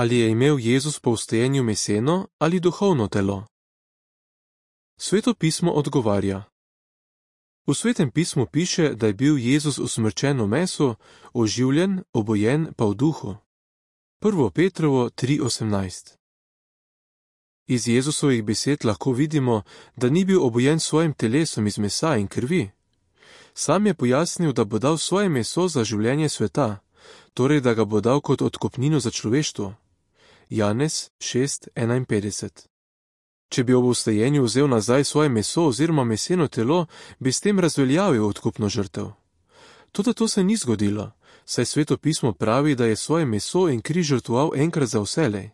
Ali je imel Jezus po vstajenju meseno ali duhovno telo? Sveto pismo odgovarja. V Svetem pismu piše, da je bil Jezus usmrčen v mesu, oživljen, obojen pa v duhu. 1. Petrovo 3:18. Iz Jezusovih besed lahko vidimo, da ni bil obojen s svojim telesom iz mesa in krvi. Sam je pojasnil, da bo dal svoje meso za življenje sveta, torej da ga bo dal kot odkupnino za človeštvo. Janez 6:51. Če bi ob vstajenju vzel nazaj svoje meso oziroma meseno telo, bi s tem razveljavil odkupno žrtev. Toda to se ni zgodilo, saj Sveto pismo pravi, da je svoje meso in kri žrtvoval enkrat za vselej.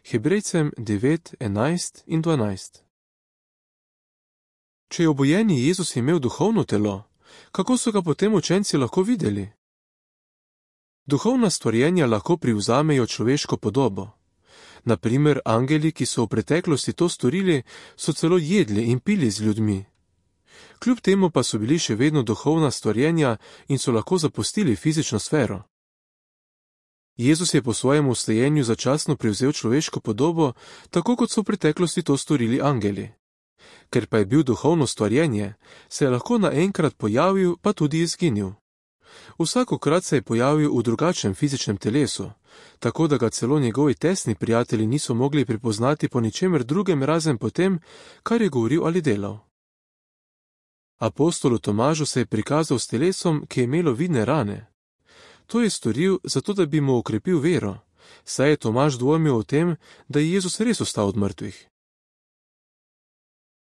Hebrejcem 9:11 in 12. Če je obojeni Jezus imel duhovno telo, kako so ga potem učenci lahko videli? Duhovna stvorjenja lahko privzamejo človeško podobo. Na primer, angeli, ki so v preteklosti to storili, so celo jedli in pili z ljudmi. Kljub temu pa so bili še vedno duhovna stvorjenja in so lahko zapustili fizično sfero. Jezus je po svojem vstajenju začasno prevzel človeško podobo, tako kot so v preteklosti to storili angeli. Ker pa je bil duhovno stvorjenje, se je lahko naenkrat pojavil, pa tudi izginil. Vsakokrat se je pojavil v drugačnem fizičnem telesu, tako da ga celo njegovi tesni prijatelji niso mogli prepoznati po ničemer drugem razen po tem, kar je govoril ali delal. Apostolu Tomažu se je prikazal s telesom, ki je imelo vidne rane. To je storil, zato da bi mu okrepil vero, saj je Tomaž dvomil o tem, da je Jezus res vstal od mrtvih.